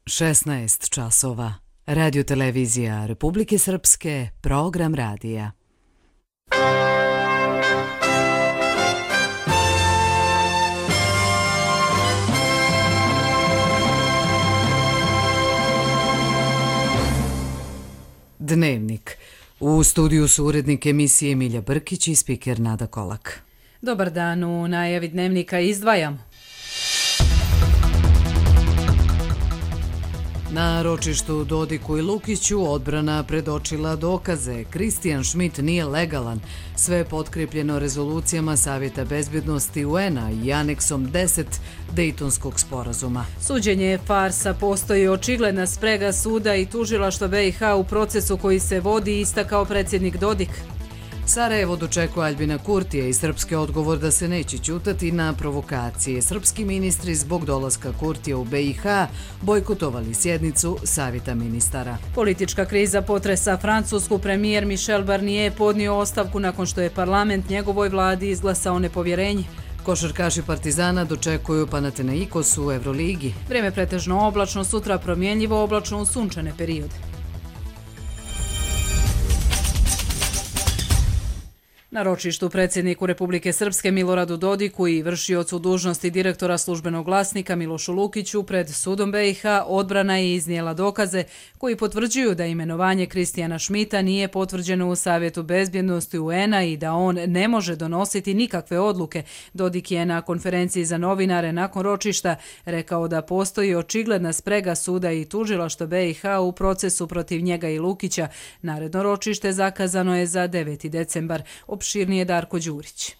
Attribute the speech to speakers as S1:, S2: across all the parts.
S1: 16 časova. Radio-televizija Republike Srpske, program radija. Dnevnik. U studiju su urednik emisije Milja Brkić i spiker Nada Kolak.
S2: Dobar dan, u najavi dnevnika izdvajamo.
S1: Na ročištu Dodiku i Lukiću odbrana predočila dokaze. Kristijan Šmit nije legalan. Sve je potkrepljeno rezolucijama Savjeta bezbjednosti UN-a i aneksom 10 Dejtonskog sporazuma.
S2: Suđenje je farsa, postoji očigledna sprega suda i tužilaštva BiH u procesu koji se vodi, istakao predsjednik Dodik. Sarajevo dočekuje Aljbina Kurtija i srpski odgovor da se neće ćutati na provokacije. Srpski ministri zbog dolaska Kurtija u BiH bojkotovali sjednicu Savjeta ministara. Politička kriza potresa Francusku. Premijer Michel Barnier podnio ostavku nakon što je parlament njegovoj vladi izglasao nepovjerenje.
S1: Košarkaši Partizana dočekuju Panathinaikos u Euroligi.
S2: Vrijeme pretežno oblačno, sutra promjenjivo oblačno u sunčane periode. Na ročištu predsjedniku Republike Srpske Miloradu Dodiku i vršiocu dužnosti direktora službenog glasnika Milošu Lukiću pred sudom BiH odbrana je iznijela dokaze koji potvrđuju da imenovanje Kristijana Šmita nije potvrđeno u Savjetu bezbjednosti UN-a i da on ne može donositi nikakve odluke. Dodik je na konferenciji za novinare nakon ročišta rekao da postoji očigledna sprega suda i tužilaštva BiH u procesu protiv njega i Lukića. Naredno ročište zakazano je za 9. decembar. Opširnije Darko Đurić.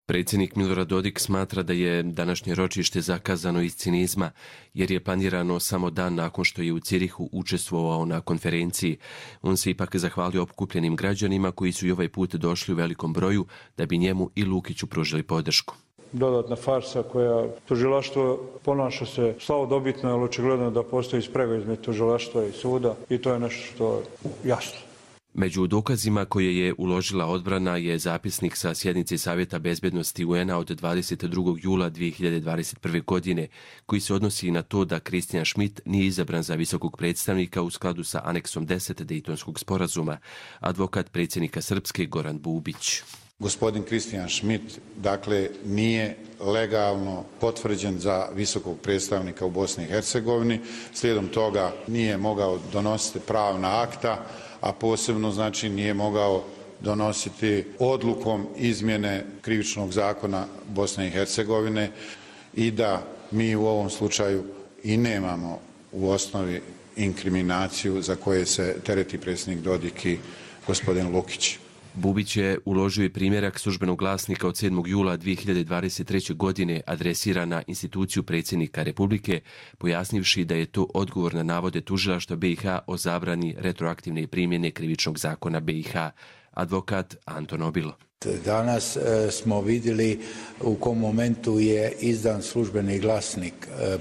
S3: Predsjednik Milorad Dodik smatra da je današnje ročište zakazano iz cinizma, jer je planirano samo dan nakon što je u Cirihu učestvovao na konferenciji. On se ipak zahvalio okupljenim građanima koji su i ovaj put došli u velikom broju da bi njemu i Lukiću pružili podršku.
S4: Dodatna farsa koja tužilaštvo ponaša se slavodobitno, ali očigledno da postoji sprega između tužilaštva i suda i to je nešto što je jasno.
S3: Među dokazima koje je uložila odbrana je zapisnik sa sjednice Savjeta bezbjednosti UN-a od 22. jula 2021. godine, koji se odnosi na to da Kristijan Šmit nije izabran za visokog predstavnika u skladu sa aneksom 10 Dejtonskog sporazuma, advokat predsjednika Srpske Goran Bubić.
S5: Gospodin Kristijan Šmit, dakle, nije legalno potvrđen za visokog predstavnika u Bosni i Hercegovini, slijedom toga nije mogao donositi pravna akta, a posebno znači nije mogao donositi odlukom izmjene krivičnog zakona Bosne i Hercegovine i da mi u ovom slučaju i nemamo u osnovi inkriminaciju za koje se tereti predsjednik Dodik i gospodin Lukić.
S3: Bubić je uložio i primjerak službenog glasnika od 7. jula 2023. godine adresiran na instituciju predsjednika Republike, pojasnivši da je to odgovor na navode tužilaštva BiH o zabrani retroaktivne primjene krivičnog zakona BiH. Advokat Anton Obilo.
S6: Danas smo vidjeli u kom momentu je izdan službeni glasnik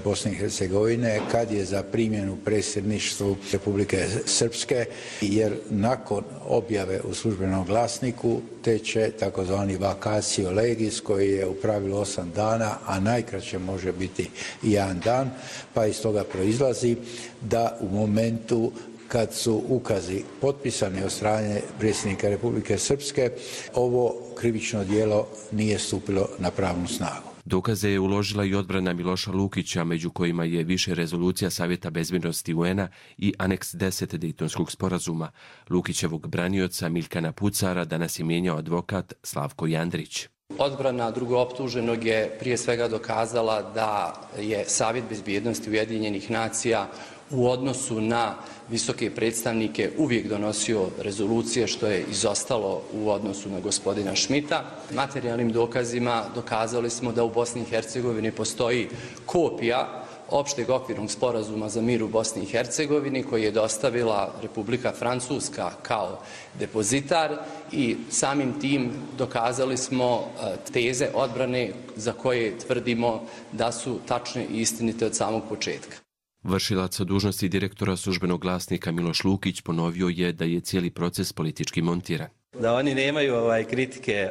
S6: Bosne i Hercegovine kad je za primjenu predsjedništvu Republike Srpske, jer nakon objave u službenom glasniku teče takozvani vacatio legis koji je u pravilu 8 dana, a najkraće može biti 1 dan, pa iz toga proizlazi da u momentu kad su ukazi potpisani od strane predsjednika Republike Srpske, ovo krivično djelo nije stupilo na pravnu snagu.
S3: Dokaze je uložila i odbrana Miloša Lukića, među kojima je više rezolucija Savjeta bezbjednosti UN-a i aneks 10 Dejtonskog sporazuma. Lukićevog branioca Miljkana Pucara danas je mijenjao advokat Slavko Jandrić.
S7: Odbrana drugooptuženog je prije svega dokazala da je Savjet bezbjednosti Ujedinjenih nacija u odnosu na visoke predstavnike uvijek donosio rezolucije, što je izostalo u odnosu na gospodina Šmita. Materijalnim dokazima dokazali smo da u Bosni i Hercegovini postoji kopija opšteg okvirnog sporazuma za mir u Bosni i Hercegovini koji je dostavila Republika Francuska kao depozitar i samim tim dokazali smo teze odbrane za koje tvrdimo da su tačne i istinite od samog početka.
S3: Vršilac dužnosti direktora službenog glasnika Miloš Lukić ponovio je da je cijeli proces politički montiran.
S8: Da oni nemaju kritike,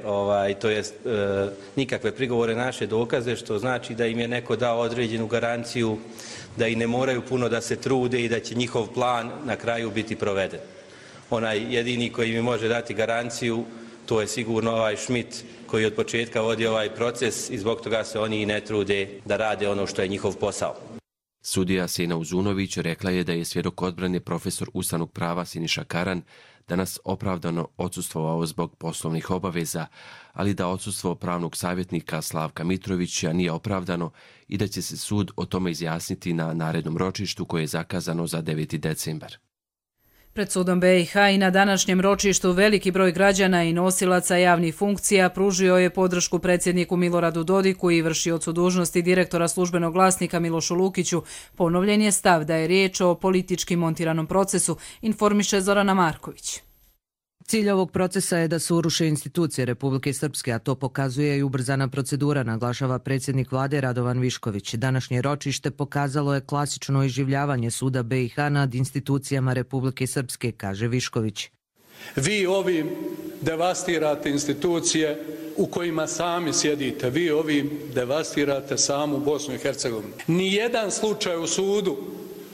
S8: to jest nikakve prigovore naše dokaze, što znači da im je neko dao određenu garanciju da i ne moraju puno da se trude i da će njihov plan na kraju biti proveden. Onaj jedini koji mi može dati garanciju, to je sigurno ovaj Schmidt koji od početka vodi ovaj proces i zbog toga se oni i ne trude da rade ono što je njihov posao.
S3: Sudija Sena Uzunović rekla je da je svjedok odbrane profesor ustavnog prava Siniša Karan danas opravdano odsustvovao zbog poslovnih obaveza, ali da odsustvo pravnog savjetnika Slavka Mitrovića nije opravdano i da će se sud o tome izjasniti na narednom ročištu koje je zakazano za 9. decembar.
S2: Pred sudom BiH i na današnjem ročištu veliki broj građana i nosilaca javnih funkcija pružio je podršku predsjedniku Miloradu Dodiku i vršiocu dužnosti direktora službenog glasnika Milošu Lukiću. Ponovljen je stav da je riječ o politički montiranom procesu, informiše Zorana Marković.
S9: Cilj ovog procesa je da se uruše institucije Republike Srpske, a to pokazuje i ubrzana procedura, naglašava predsjednik vlade Radovan Višković. Današnje ročište pokazalo je klasično iživljavanje suda BiH nad institucijama Republike Srpske, kaže Višković.
S10: Vi ovim devastirate institucije u kojima sami sjedite. Vi ovim devastirate samu Bosnu i Hercegovinu. Nijedan slučaj u sudu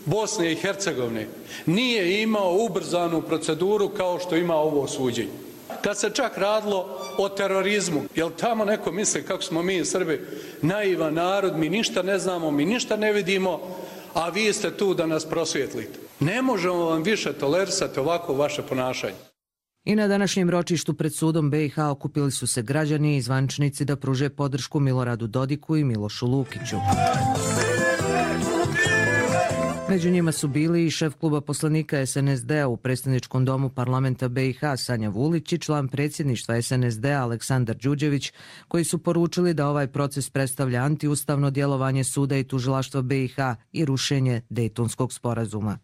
S10: Bosne i Hercegovine nije imao ubrzanu proceduru kao što ima ovo suđenje. Kad se čak radilo o terorizmu, jel tamo neko misli kako smo mi Srbi naivan narod, mi ništa ne znamo, mi ništa ne vidimo, a vi ste tu da nas prosvjetlite. Ne možemo vam više tolerisati ovako vaše ponašanje.
S9: I na današnjem ročištu pred sudom BiH okupili su se građani i zvaničnici da pruže podršku Miloradu Dodiku i Milošu Lukiću. Među njima su bili i šef kluba poslanika SNSD-a u predstavničkom domu parlamenta BiH Sanja Vulić i član predsjedništva SNSD-a Aleksandar Đuđević, koji su poručili da ovaj proces predstavlja antiustavno djelovanje suda i tužilaštva BiH i rušenje Dejtonskog sporazuma.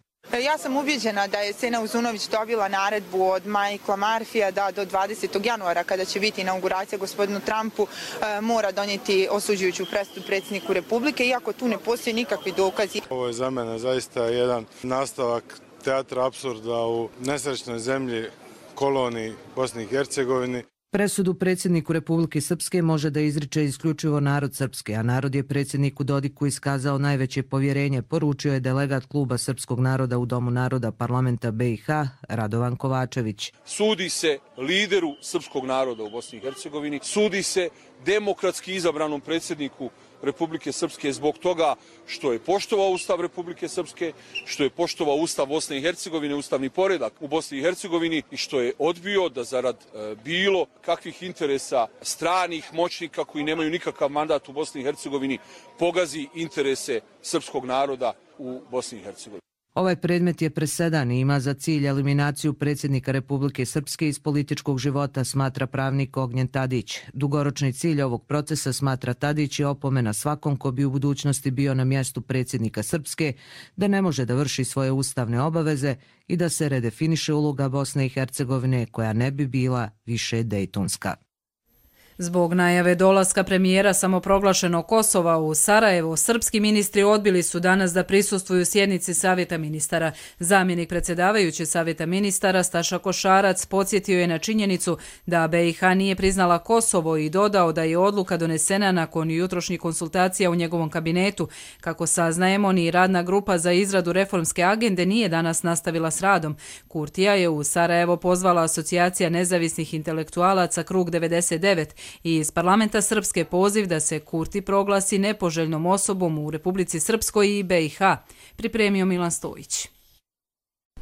S11: Ja sam ubijeđena da je Sena Uzunović dobila naredbu od Michaela Murphyja da do 20. januara, kada će biti inauguracija gospodinu Trumpu, mora donijeti osuđujuću presudu predsjedniku Republike, iako tu ne postoji nikakvi dokazi.
S12: Ovo je za mene zaista jedan nastavak teatra apsurda u nesrećnoj zemlji, koloniji Bosni i Hercegovini.
S9: Presudu predsjedniku Republike Srpske može da izriče isključivo narod Srpske, a narod je predsjedniku Dodiku iskazao najveće povjerenje, poručio je delegat kluba Srpskog naroda u Domu naroda parlamenta BiH Radovan Kovačević.
S13: Sudi se lideru srpskog naroda u Bosni i Hercegovini, sudi se demokratski izabranom predsjedniku Republike Srpske zbog toga što je poštovao Ustav Republike Srpske, što je poštovao Ustav Bosne i Hercegovine, ustavni poredak u Bosni i Hercegovini i što je odbio da zarad bilo kakvih interesa stranih moćnika koji nemaju nikakav mandat u Bosni i Hercegovini pogazi interese srpskog naroda u Bosni i Hercegovini.
S9: Ovaj predmet je presedan i ima za cilj eliminaciju predsjednika Republike Srpske iz političkog života, smatra pravnik Ognjen Tadić. Dugoročni cilj ovog procesa, smatra Tadić, je opomena svakom ko bi u budućnosti bio na mjestu predsjednika Srpske, da ne može da vrši svoje ustavne obaveze i da se redefiniše uloga Bosne i Hercegovine koja ne bi bila više dejtonska.
S2: Zbog najave dolaska premijera samoproglašenog Kosova u Sarajevo, srpski ministri odbili su danas da prisustvuju sjednici Savjeta ministara. Zamjenik predsjedavajuće Savjeta ministara Staša Košarac podsjetio je na činjenicu da BiH nije priznala Kosovo i dodao da je odluka donesena nakon jutrošnjih konsultacija u njegovom kabinetu. Kako saznajemo, ni radna grupa za izradu reformske agende nije danas nastavila s radom. Kurtija je u Sarajevo pozvala Asocijacija nezavisnih intelektualaca Krug 99 i iz parlamenta Srpske poziv da se Kurti proglasi nepoželjnom osobom u Republici Srpskoj i BiH, pripremio Milan Stojić.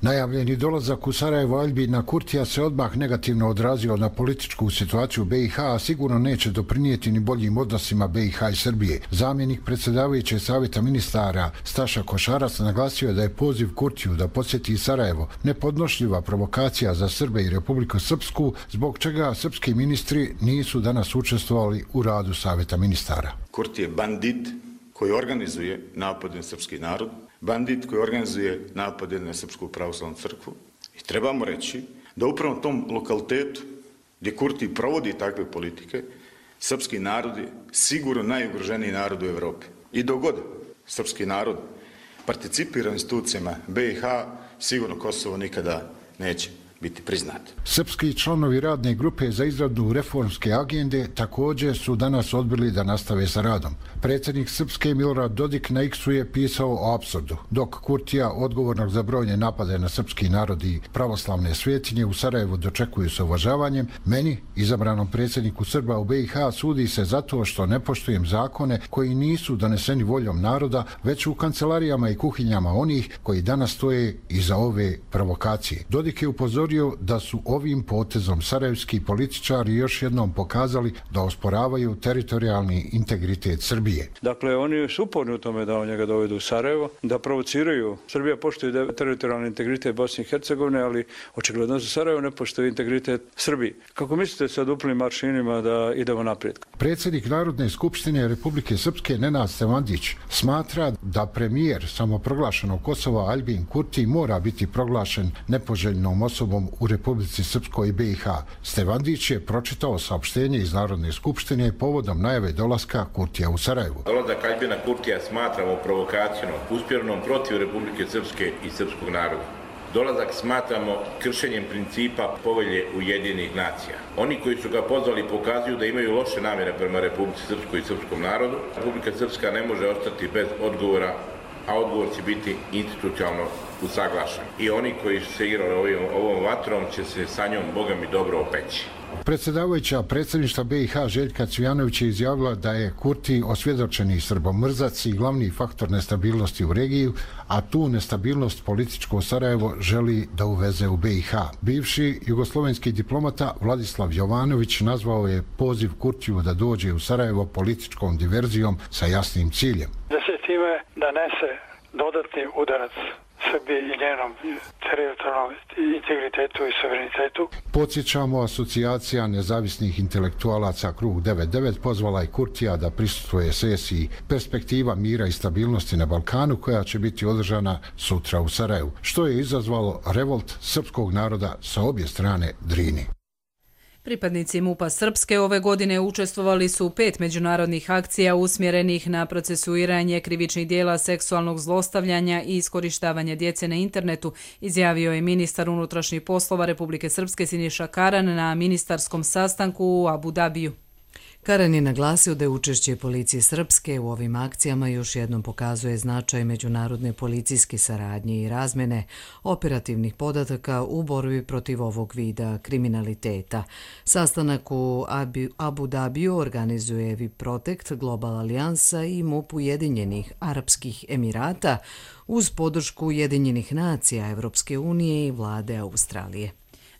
S14: Najavljeni dolazak u Sarajevo Aljbina Kurtija se odmah negativno odrazio na političku situaciju u BiH, a sigurno neće doprinijeti ni boljim odnosima BiH i Srbije. Zamjenik predsjedavajućeg Savjeta ministara Staša Košarac naglasio je da je poziv Kurtiju da posjeti Sarajevo nepodnošljiva provokacija za Srbe i Republiku Srpsku, zbog čega srpski ministri nisu danas učestvovali u radu Savjeta ministara.
S15: Kurti je bandit koji organizuje napad na srpski narod, bandit koji organizuje napade na Srpsku pravoslavnu crkvu. I trebamo reći da upravo u tom lokalitetu gdje Kurti provodi takve politike, srpski narod je sigurno najugroženiji narod u Evropi. I dok god srpski narod participira u institucijama BiH, sigurno Kosovo nikada neće biti priznat.
S14: Srpski članovi radne grupe za izradu reformske agende također su danas odbili da nastave sa radom. Predsjednik Srpske Milorad Dodik na X-u je pisao o apsurdu, dok Kurtija, odgovornog za brojne napade na srpski narod i pravoslavne svetinje, u Sarajevu dočekuju sa uvažavanjem, meni, izabranom predsjedniku Srba u BiH, sudi se zato što ne poštujem zakone koji nisu doneseni voljom naroda, već u kancelarijama i kuhinjama onih koji danas stoje iza ove provokacije. Dodik je upozorio da su ovim potezom sarajevski političari još jednom pokazali da osporavaju teritorijalni integritet Srbije.
S4: Dakle, oni su uporni u tome da njega dovedu u Sarajevo, da provociraju. Srbija poštuje teritorijalni integritet Bosne i Hercegovine, ali očigledno za Sarajevo ne poštuje integritet Srbije. Kako mislite sa duplim maršinima da idemo naprijed?
S14: Predsjednik Narodne skupštine Republike Srpske Nenad Stevandić smatra da premijer samoproglašenog Kosova Aljbin Kurti mora biti proglašen nepoželjnom osobom u Republici Srpskoj i BiH. Stevandić je pročitao saopštenje iz Narodne skupštine povodom najave dolaska Kurtija u Sarajevo.
S16: Dolazak Aljbina Kurtija smatramo provokacijom uspjernom protiv Republike Srpske i srpskog naroda. Dolazak smatramo kršenjem principa povelje Ujedinjenih nacija. Oni koji su ga pozvali pokazuju da imaju loše namjere prema Republici Srpskoj i srpskom narodu. Republika Srpska ne može ostati bez odgovora, a odgovor će biti institucionalno usaglašen. I oni koji su se igrali ovom vatrom će se sa njom, Boga mi, dobro opeći.
S14: Predsjedavajuća predsjedništva BiH Željka Cvijanović je izjavila da je Kurti osvjedočeni srbomrzac i glavni faktor nestabilnosti u regiju, a tu nestabilnost političko Sarajevo želi da uveze u BiH. Bivši jugoslovenski diplomata Vladislav Jovanović nazvao je poziv Kurtiju da dođe u Sarajevo političkom diverzijom sa jasnim ciljem.
S17: Da se time nanese dodatni udarac Srbije i njenom teritorijalnom integritetu i suverenitetu.
S14: Podsjećamo, asocijacija nezavisnih intelektualaca Krug 99 pozvala je Kurtija da prisustvuje sesiji Perspektiva mira i stabilnosti na Balkanu, koja će biti održana sutra u Sarajevu, što je izazvalo revolt srpskog naroda sa obje strane Drini.
S2: Pripadnici MUP-a Srpske ove godine učestvovali su u 5 međunarodnih akcija usmjerenih na procesuiranje krivičnih dijela seksualnog zlostavljanja i iskorištavanja djece na internetu, izjavio je ministar unutrašnjih poslova Republike Srpske Siniša Karan na ministarskom sastanku u Abu Dabiju.
S1: Karan je naglasio da je učešće policije Srpske u ovim akcijama još jednom pokazuje značaj međunarodne policijske saradnje i razmene operativnih podataka u borbi protiv ovog vida kriminaliteta. Sastanak u Abu Dabiju organizuje Viprotect, Global Alijansa i MUP Ujedinjenih Arapskih Emirata uz podršku Ujedinjenih nacija, Evropske unije i vlade Australije.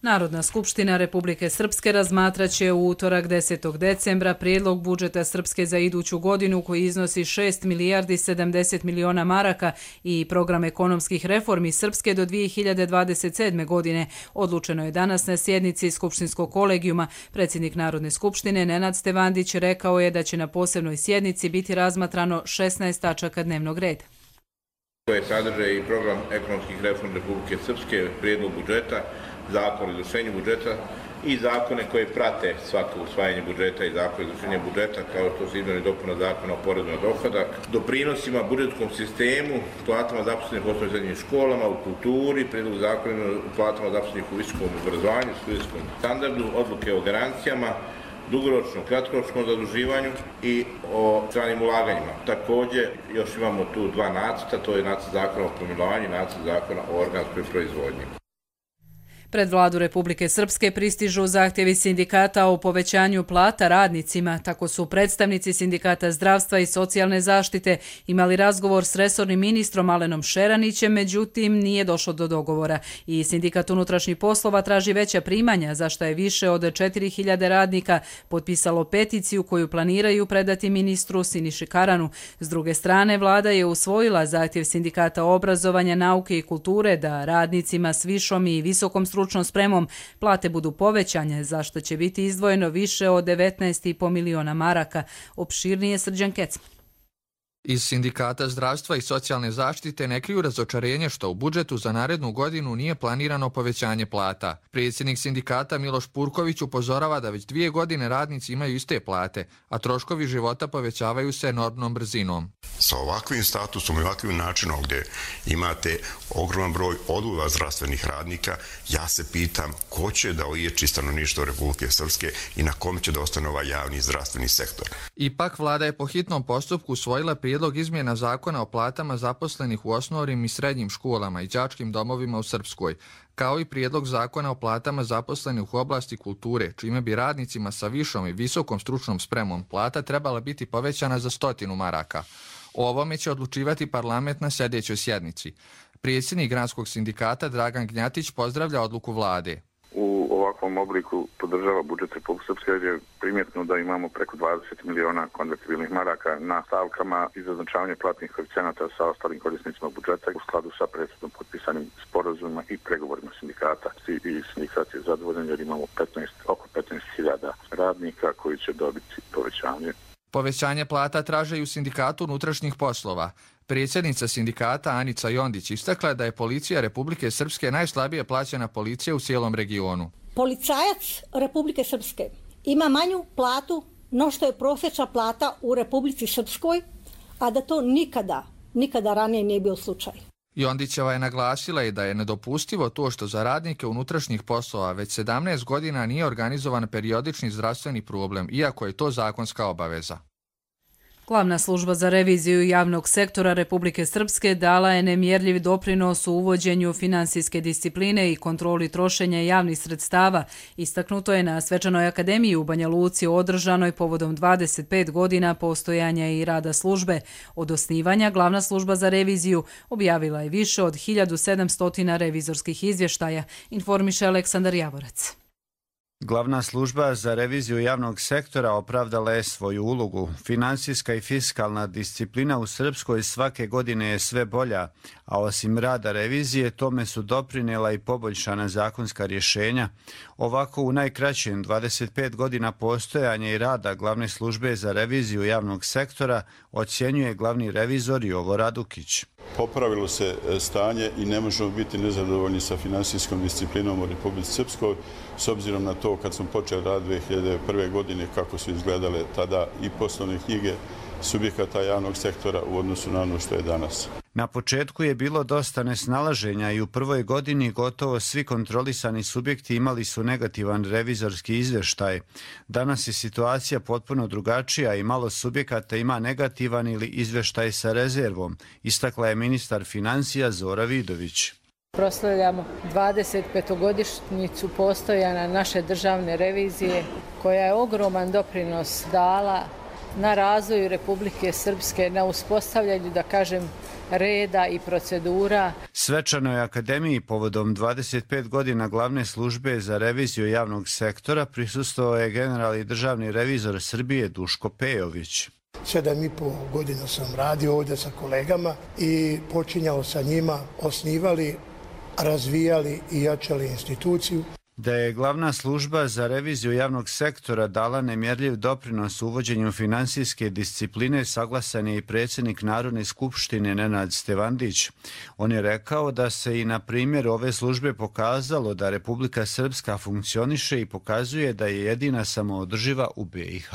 S2: Narodna skupština Republike Srpske razmatraće u utorak 10. decembra prijedlog budžeta Srpske za iduću godinu koji iznosi 6 milijardi 70 miliona maraka i program ekonomskih reformi Srpske do 2027. godine. Odlučeno je danas na sjednici Skupštinskog kolegijuma. Predsjednik Narodne skupštine Nenad Stevandić rekao je da će na posebnoj sjednici biti razmatrano 16 tačaka dnevnog reda.
S16: Koje sadrže i program ekonomskih reformi Republike Srpske, prijedlog budžeta, zakon o izvršenju budžeta i zakone koje prate svako usvajanje budžeta i zakon o izvršenju budžeta, kao što su izmjene i dopuna zakona o porezu na dohodak, doprinosima budžetskom sistemu, platama zaposlenih u osnovnim i srednjim školama, u kulturi, prijedlog zakona o platama zaposlenih u visokom obrazovanju, studentskom standardu, odluke o garancijama, dugoročnom, kratkoročnom zaduživanju i o stranim ulaganjima. Također, još imamo tu dva nacrta, to je nacrt zakona o pomilovanju i nacrt zakona o organskoj proizvodnji.
S2: Pred vladu Republike Srpske pristižu zahtjevi sindikata o povećanju plata radnicima. Tako su predstavnici sindikata zdravstva i socijalne zaštite imali razgovor s resornim ministrom Alenom Šeranićem, međutim nije došlo do dogovora. I sindikat unutrašnjih poslova traži veća primanja, za što je više od 4000 radnika potpisalo peticiju koju planiraju predati ministru Siniši Karanu. S druge strane, vlada je usvojila zahtjev sindikata obrazovanja, nauke i kulture da radnicima s višom i visokom stručnom spremom plate budu povećanje, za što će biti izdvojeno više od 19,5 miliona maraka. Opširnije Srđan Kecman.
S18: Iz Sindikata zdravstva i socijalne zaštite ne kriju razočarenje što u budžetu za narednu godinu nije planirano povećanje plata. Predsjednik sindikata Miloš Purković upozorava da već 2 godine radnici imaju iste plate, a troškovi života povećavaju se enormnom brzinom.
S19: Sa ovakvim statusom i ovakvim načinom gdje imate ogroman broj odliva zdravstvenih radnika, ja se pitam ko će da oječi stanovništvo Republike Srpske i na kom će da ostane ovaj javni zdravstveni sektor.
S18: Ipak vlada je po hitnom postupku usvojila prijedlog izmjena zakona o platama zaposlenih u osnovnim i srednjim školama i đačkim domovima u Srpskoj, kao i prijedlog zakona o platama zaposlenih u oblasti kulture, čime bi radnicima sa višom i visokom stručnom spremom plata trebala biti povećana za 100 maraka. O ovome će odlučivati parlament na sljedećoj sjednici. Predsjednik Granskog sindikata Dragan Gnjatić pozdravlja odluku vlade.
S20: U ovakvom obliku podržava budžet Republike Srpske jer je primjetno da imamo preko 20 miliona konvertibilnih maraka na stavkama i za označavanje platnih koeficijenata sa ostalim korisnicima budžeta u skladu sa prethodno potpisanim sporazumima i pregovorima sindikata. I sindikat je zadovoljan jer imamo oko 15.000 radnika koji će dobiti povećanje.
S18: Povećanje plata traže i u Sindikatu unutrašnjih poslova. Predsjednica sindikata Anica Jondić istakla da je policija Republike Srpske najslabije plaćena policija u cijelom regionu.
S21: Policajac Republike Srpske ima manju platu no što je prosječna plata u Republici Srpskoj, a da to nikada ranije nije bio slučaj.
S18: Jondićeva je naglasila i da je nedopustivo to što za radnike unutrašnjih poslova već 17 godina nije organizovan periodični zdravstveni problem, iako je to zakonska obaveza.
S2: Glavna služba za reviziju javnog sektora Republike Srpske dala je nemjerljiv doprinos u uvođenju finansijske discipline i kontroli trošenja javnih sredstava. Istaknuto je na Svečanoj akademiji u Banja Luci održanoj povodom 25 godina postojanja i rada službe. Od osnivanja glavna služba za reviziju objavila je više od 1700 revizorskih izvještaja, informiše Aleksandar Javorac.
S22: Glavna služba za reviziju javnog sektora opravdala je svoju ulogu. Finansijska i fiskalna disciplina u Srpskoj svake godine je sve bolja, a osim rada revizije tome su doprinijela i poboljšana zakonska rješenja. Ovako u najkraćem 25 godina postojanja i rada glavne službe za reviziju javnog sektora ocjenjuje glavni revizor Jovo Radukić.
S23: Popravilo se stanje i ne možemo biti nezadovoljni sa finansijskom disciplinom u Republici Srpskoj, s obzirom na to kad smo počeli rad 2001. godine kako su izgledale tada i poslovne knjige subjekata javnog sektora u odnosu na ono što je danas.
S22: Na početku je bilo dosta nesnalaženja i u prvoj godini gotovo svi kontrolisani subjekti imali su negativan revizorski izvještaj. Danas je situacija potpuno drugačija i malo subjekata ima negativan ili izvještaj sa rezervom, istakla je ministar financija Zora Vidović.
S24: Proslavljamo 25-godišnjicu postojanja naše državne revizije koja je ogroman doprinos dala na razvoju Republike Srpske, na uspostavljanju, da kažem, reda i procedura.
S22: Svečanoj akademiji povodom 25 godina glavne službe za reviziju javnog sektora prisustvovao je generalni državni revizor Srbije Duško Pejović.
S25: 7,5 godina sam radio ovdje sa kolegama i počinjao sa njima, osnivali, razvijali i jačali instituciju.
S22: Da je glavna služba za reviziju javnog sektora dala nemjerljiv doprinos uvođenju finansijske discipline, saglasan je i predsjednik Narodne skupštine Nenad Stevandić. On je rekao da se i na primjer ove službe pokazalo da Republika Srpska funkcioniše i pokazuje da je jedina samoodrživa u BiH.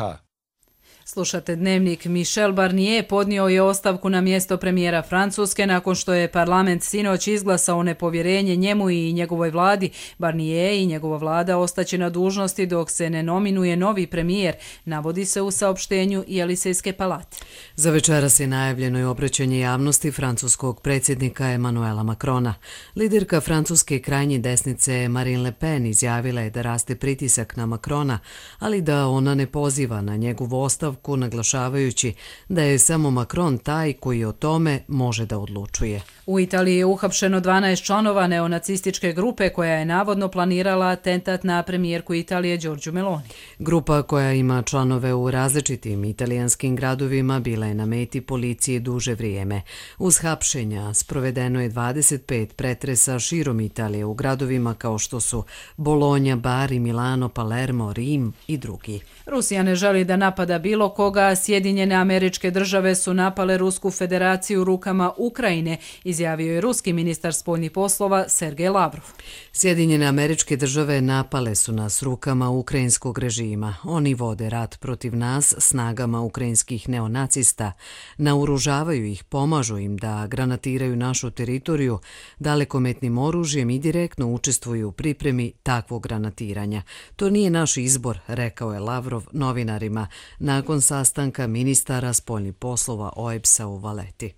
S2: Slušate dnevnik. Michel Barnier podnio je ostavku na mjesto premijera Francuske nakon što je parlament sinoć izglasao nepovjerenje njemu i njegovoj vladi. Barnier i njegova vlada ostaće na dužnosti dok se ne nominuje novi premijer, navodi se u saopštenju Jelisejske palate.
S1: Za večeras je najavljeno i obraćanje javnosti francuskog predsjednika Emanuela Macrona. Liderka francuske krajnje desnice Marine Le Pen izjavila je da raste pritisak na Macrona, ali da ona ne poziva na njegovu ostavku, naglašavajući da je samo Macron taj koji o tome može da odlučuje.
S2: U Italiji je uhapšeno 12 članova neonacističke grupe koja je navodno planirala atentat na premijerku Italije Giorgio Meloni.
S1: Grupa koja ima članove u različitim italijanskim gradovima bila je na meti policije duže vrijeme. Uz hapšenja sprovedeno je 25 pretresa širom Italije u gradovima kao što su Bologna, Bari, Milano, Palermo, Rim i drugi.
S2: Rusija ne želi da napada bilo koga Sjedinjene Američke Države su napale Rusku federaciju rukama Ukrajine, izjavio je ruski ministar spoljnih poslova Sergej Lavrov.
S1: Sjedinjene Američke Države napale su nas rukama ukrajinskog režima. Oni vode rat protiv nas snagama ukrajinskih neonacista, naoružavaju ih, pomažu im da granatiraju našu teritoriju dalekometnim oružjem i direktno učestvuju u pripremi takvog granatiranja. To nije naš izbor, rekao je Lavrov novinarima nakon sastanka ministara spoljnih poslova OEBS-a u Valeti.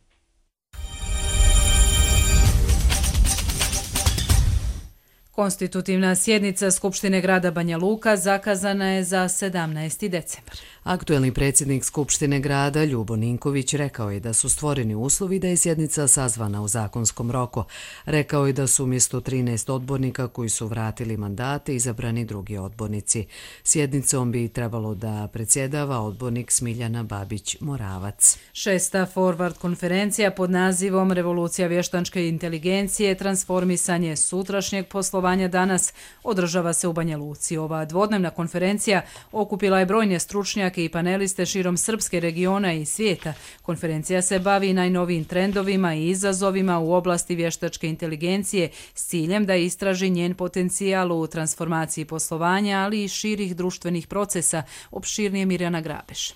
S2: Konstitutivna sjednica Skupštine grada Banja Luka zakazana je za 17. decembar.
S1: Aktuelni predsjednik Skupštine grada Ljubo Ninković rekao je da su stvoreni uslovi da je sjednica sazvana u zakonskom roku. Rekao je da su umjesto 13 odbornika koji su vratili mandate izabrani drugi odbornici. Sjednicom bi trebalo da predsjedava odbornik Smiljana Babić-Moravac.
S2: 6. Forward konferencija pod nazivom Revolucija vještačke inteligencije, transformisanje sutrašnjeg poslovanja danas održava se u Banja Luci. Ova dvodnevna konferencija okupila je brojne stručnjake i paneliste širom srpske regiona i svijeta. Konferencija se bavi najnovijim trendovima i izazovima u oblasti vještačke inteligencije s ciljem da istraži njen potencijal u transformaciji poslovanja, ali i širih društvenih procesa, opširnije Mirjana Grabeš.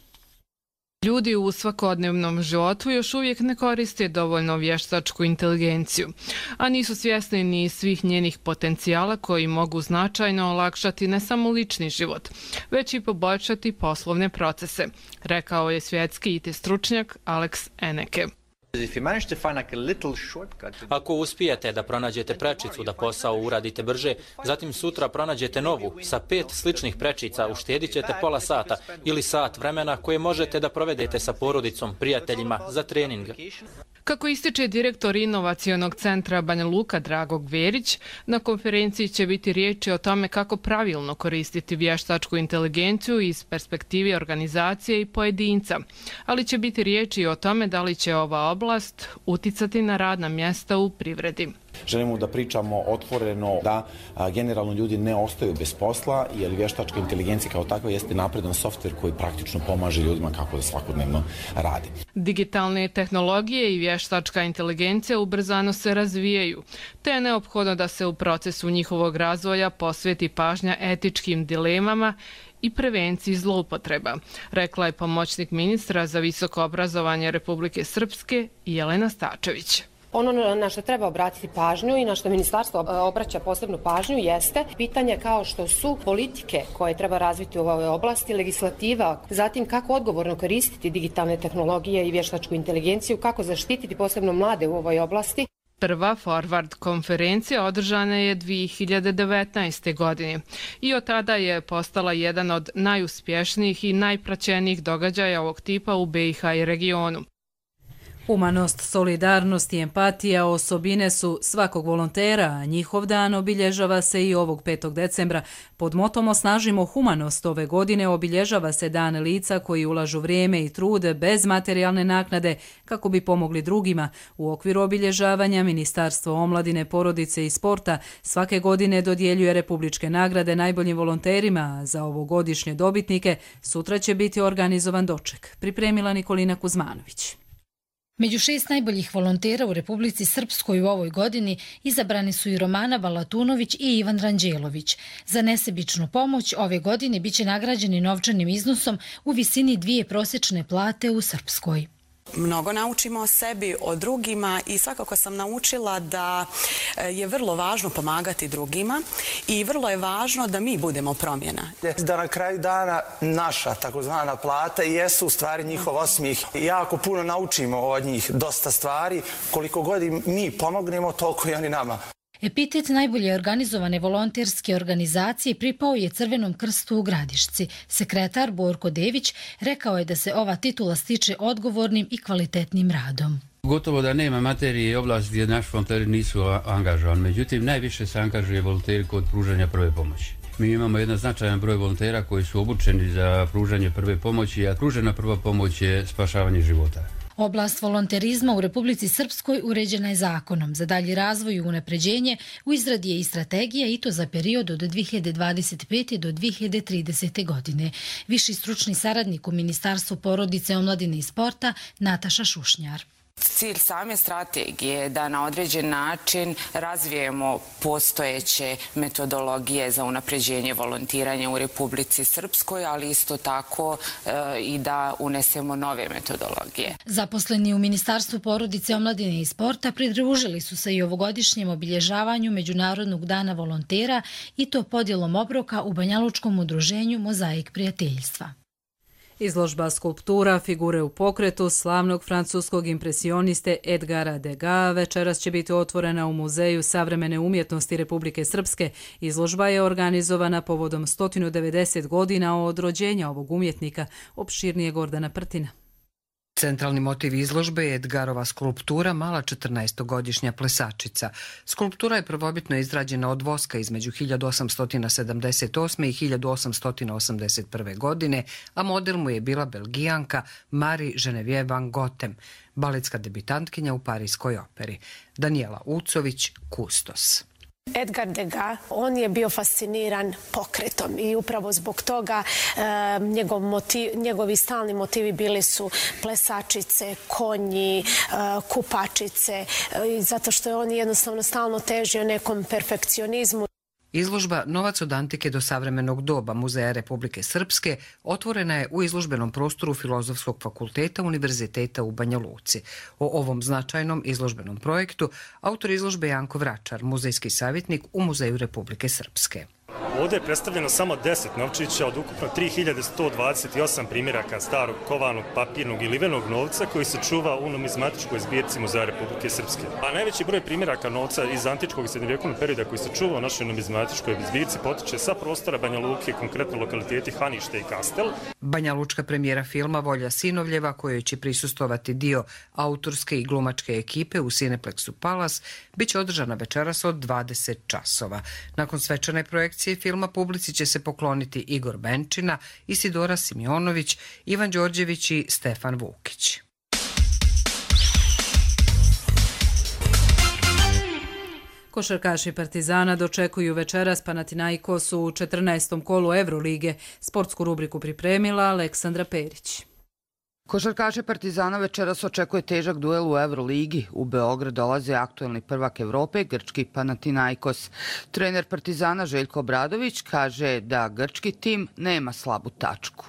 S3: Ljudi u svakodnevnom životu još uvijek ne koriste dovoljno vještačku inteligenciju, a nisu svjesni ni svih njenih potencijala koji mogu značajno olakšati ne samo lični život, već i poboljšati poslovne procese, rekao je svjetski IT stručnjak Alex Eneke.
S5: Ako uspijete da pronađete prečicu da posao uradite brže, zatim sutra pronađete novu, sa 5 sličnih prečica uštedit ćete pola sata ili sat vremena koje možete da provedete sa porodicom, prijateljima za trening.
S3: Kako ističe direktor inovacionog centra Banja Luka Drago Gverić, na konferenciji će biti riječi o tome kako pravilno koristiti vještačku inteligenciju iz perspektive organizacije i pojedinca, ali će biti riječi o tome da li će ova oblast uticati na radna mjesta u privredi.
S6: Želimo da pričamo otvoreno da generalno ljudi ne ostaju bez posla, jer vještačka inteligencija kao takva jeste napredan softver koji praktično pomaže ljudima kako da svakodnevno radi.
S3: Digitalne tehnologije i vještačka inteligencija ubrzano se razvijaju, te je neophodno da se u procesu njihovog razvoja posveti pažnja etičkim dilemama i prevenciji zloupotreba, rekla je pomoćnik ministra za visoko obrazovanje Republike Srpske Jelena Stačević.
S7: Ono na što treba obratiti pažnju i na što ministarstvo obraća posebnu pažnju jeste pitanje kao što su politike koje treba razviti u ovoj oblasti, legislativa, zatim kako odgovorno koristiti digitalne tehnologije i vještačku inteligenciju, kako zaštititi posebno mlade u ovoj oblasti.
S3: Prva Forward konferencija održana je 2019. godine i od tada je postala jedan od najuspješnijih i najpraćenijih događaja ovog tipa u BiH i regionu.
S2: Humanost, solidarnost i empatija osobine su svakog volontera, a njihov dan obilježava se i ovog 5. decembra. Pod motom Osnažimo humanost ove godine obilježava se dan lica koji ulažu vrijeme i trud bez materijalne naknade kako bi pomogli drugima. U okviru obilježavanja Ministarstvo omladine, porodice i sporta svake godine dodjeljuje republičke nagrade najboljim volonterima, a za ovogodišnje dobitnike sutra će biti organizovan doček. Pripremila Nikolina Kuzmanović.
S8: Među 6 najboljih volontera u Republici Srpskoj u ovoj godini izabrani su i Romana Balatunović i Ivan Ranđelović. Za nesebičnu pomoć ove godine biće nagrađeni novčanim iznosom u visini 2 prosječne plate u Srpskoj.
S26: Mnogo naučimo o sebi, o drugima i svakako sam naučila da je vrlo važno pomagati drugima i vrlo je važno da mi budemo promjena.
S27: Da na kraju dana naša takozvana plata jesu u stvari njihov osmijeh. Jako puno naučimo od njih dosta stvari. Koliko god mi pomognemo, toliko i oni nama.
S8: Epitet najbolje organizovane volonterske organizacije pripao je Crvenom krstu u Gradišci. Sekretar Borko Dević rekao je da se ova titula stiče odgovornim i kvalitetnim radom.
S28: Gotovo da nema materije i oblasti gdje naši volonteri nisu angažovani. Međutim, najviše se angažuje volonteri kod pružanja prve pomoći. Mi imamo jedan značajan broj volontera koji su obučeni za pružanje prve pomoći, a pružena prva pomoć je spašavanje života.
S8: Oblast volonterizma u Republici Srpskoj uređena je zakonom. Za dalji razvoj i unapređenje u izradi je i strategija i to za period od 2025. do 2030. godine. Viši stručni saradnik u Ministarstvu porodice, omladine i sporta Nataša Šušnjar.
S4: Cilj same strategije je da na određen način razvijemo postojeće metodologije za unapređenje volontiranja u Republici Srpskoj, ali isto tako i da unesemo nove metodologije.
S8: Zaposleni u Ministarstvu porodice, omladine i sporta pridružili su se i ovogodišnjem obilježavanju Međunarodnog dana volontera i to podjelom obroka u Banjalučkom udruženju Mozaik prijateljstva.
S2: Izložba skulptura Figure u pokretu slavnog francuskog impresioniste Edgara Degas večeras će biti otvorena u Muzeju savremene umjetnosti Republike Srpske. Izložba je organizovana povodom 190 godina od rođenja ovog umjetnika, opširnije Gordana Prtina.
S9: Centralni motiv izložbe je Edgarova skulptura Mala 14-godišnja plesačica. Skulptura je prvobitno izrađena od voska između 1878. i 1881. godine, a model mu je bila Belgijanka Marie Genevieve van Goghem, baletska debitantkinja u Parijskoj operi. Daniela Ucović, kustos.
S10: Edgar Degas, on je bio fasciniran pokretom i upravo zbog toga njegovi stalni motivi bili su plesačice, konji, kupačice, zato što je on jednostavno stalno težio nekom perfekcionizmu.
S9: Izložba Novac od antike do savremenog doba Muzeja Republike Srpske otvorena je u izložbenom prostoru Filozofskog fakulteta Univerziteta u Banja Luci. O ovom značajnom izložbenom projektu autor izložbe Janko Vračar, muzejski savjetnik u Muzeju Republike Srpske.
S11: Ovdje je predstavljeno samo 10 novčića od ukupno 3128 primjeraka starog kovanog, papirnog i livenog novca koji se čuva u numizmatičkoj zbirci Muzeja Republike Srpske. A najveći broj primjeraka novca iz antičkog i srednjovjekovnog perioda koji se čuva u našoj numizmatičkoj zbirci potiče sa prostora Banja Luke, konkretno lokaliteti Hanište i Kastel.
S9: Banja Lučka premijera filma Volja Sinovljeva, kojoj će prisustovati dio autorske i glumačke ekipe u Cineplexu Palace, bit će održana večeras od 20 časova. Nakon svečane projekcije filma publici će se pokloniti Igor Benčina, Isidora Simjonović, Ivan Đorđević i Stefan Vukić.
S2: Košarkaši Partizana dočekuju večeras Panathinaikos u 14. kolu Evrolige. Sportsku rubriku pripremila Aleksandra Perić.
S12: Košarkaše Partizana večeras očekuje težak duel u Evroligi. U Beograd dolaze aktuelni prvak Evrope, grčki Panathinaikos. Trener Partizana Željko Obradović kaže da grčki tim nema slabu tačku.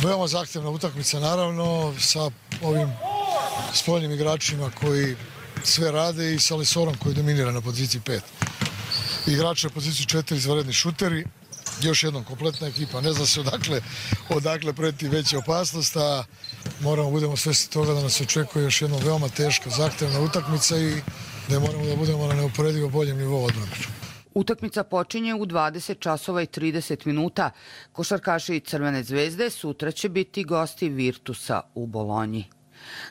S13: Veoma zahtevna utakmica, naravno, sa ovim spoljnim igračima koji sve rade i sa Lesorom koji dominira na poziciji 5. Igrači na poziciji 4 izvanredni šuteri. Još jednom kompletna ekipa, ne zna se odakle preti veća opasnost, a moramo budemo svesni toga da nas očekuje još jedna veoma teška, zahtevna utakmica i da moramo da budemo na neuporedivo boljem nivou odbrane.
S12: Utakmica počinje u 20 časova i 30 minuta. Košarkaši Crvene zvezde sutra će biti gosti Virtusa u Bolonji.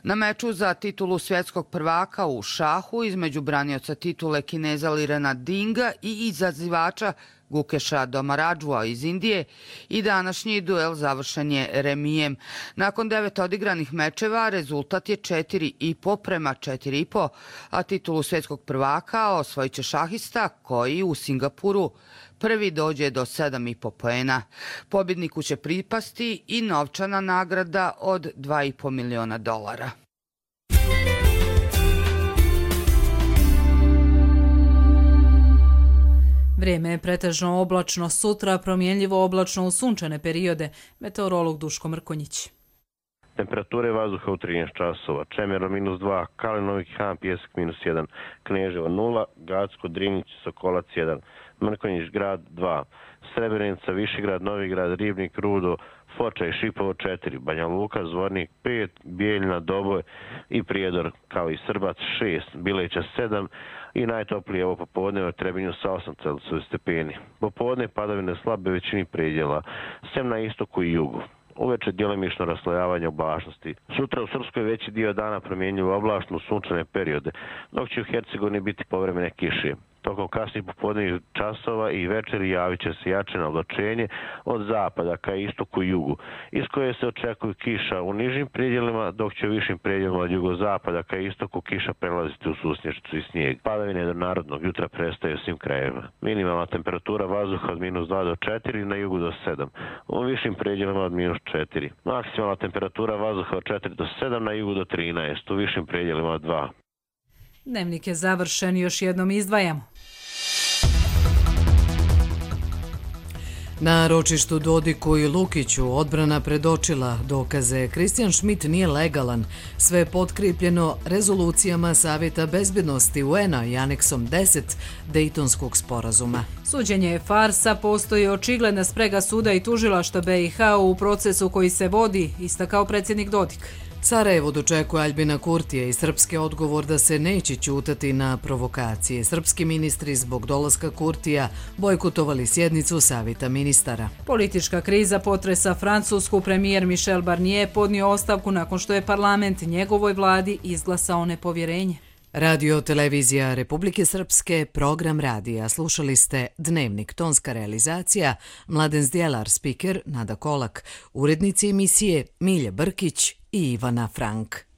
S12: Na meču za titulu svjetskog prvaka u šahu između branioca titule Kineza Lirena Dinga i izazivača Gukeša Domaradžua iz Indije i današnji duel završen je remijem. Nakon 9 odigranih mečeva rezultat je 4,5 prema 4,5, a titulu svjetskog prvaka osvojit će šahista koji u Singapuru prvi dođe do 7,5 poena. Pobjedniku će pripasti i novčana nagrada od $2,5 miliona.
S2: Vrijeme je pretežno oblačno, sutra promjenljivo oblačno u sunčane periode. Meteorolog Duško Mrkonjić.
S15: Temperature vazduha u 13 časova. Čemerno -2, Kalinovik Han, Pjesak -1, Kneževo 0, Gacko, Drinić, Sokolac 1, Mrkonjić grad 2, Srebrenica, Višegrad, Novigrad, Ribnik, Rudo, Foča i Šipovo 4, Banja Luka, Zvornik 5, Bijeljina, Doboj i Prijedor kao i Srbac 6, Bileća 7 i najtoplije ovo popodne u Trebinju sa 8 stepeni. Popodne padavine slabe većini predjela, sem na istoku i jugu. Uveče djelimično raslojavanje oblačnosti. Sutra u Srpskoj veći dio dana promjenjivo oblačno u sunčane periode, dok će u Hercegovini biti povremene kiše. Tokom kasnih popodnevnih časova i večeri javit će se jače oblačenje od zapada ka istoku i jugu, iz koje se očekuju kiša u nižim predjelima, dok će u višim predjelima od jugozapada ka istoku kiša prelaziti u susnješću i snijeg. Padavine do narodnog jutra prestaju u svim krajevima. Minimalna temperatura vazduha od -2 do 4, na jugu do 7, u višim predjelima od -4. Maksimalna temperatura vazduha od 4 do 7, na jugu do 13, u višim predjelima od 2.
S2: Dnevnik je završen, još jednom izdvajamo.
S1: Na ročištu Dodiku i Lukiću odbrana predočila dokaze. Kristijan Šmit nije legalan. Sve je potkripljeno rezolucijama Savjeta bezbjednosti UN-a i aneksom 10 Dejtonskog sporazuma.
S2: Suđenje je farsa, postoji očigledna sprega suda i tužilaštva BiH u procesu koji se vodi, istakao predsjednik Dodik.
S1: Sarajevo dočekuje Aljbina Kurtija i srpski odgovor da se neće ćutati na provokacije. Srpski ministri zbog dolaska Kurtija bojkotovali sjednicu Savjeta ministara.
S2: Politička kriza potresa Francusku. Premijer Michel Barnier podnio ostavku nakon što je parlament njegovoj vladi izglasao nepovjerenje.
S1: Radio televizija Republike Srpske, program radija. Slušali ste Dnevnik, tonska realizacija, Mladen Zdjelar, spiker Nada Kolak, urednici emisije Milja Brkić i Ivana Frank.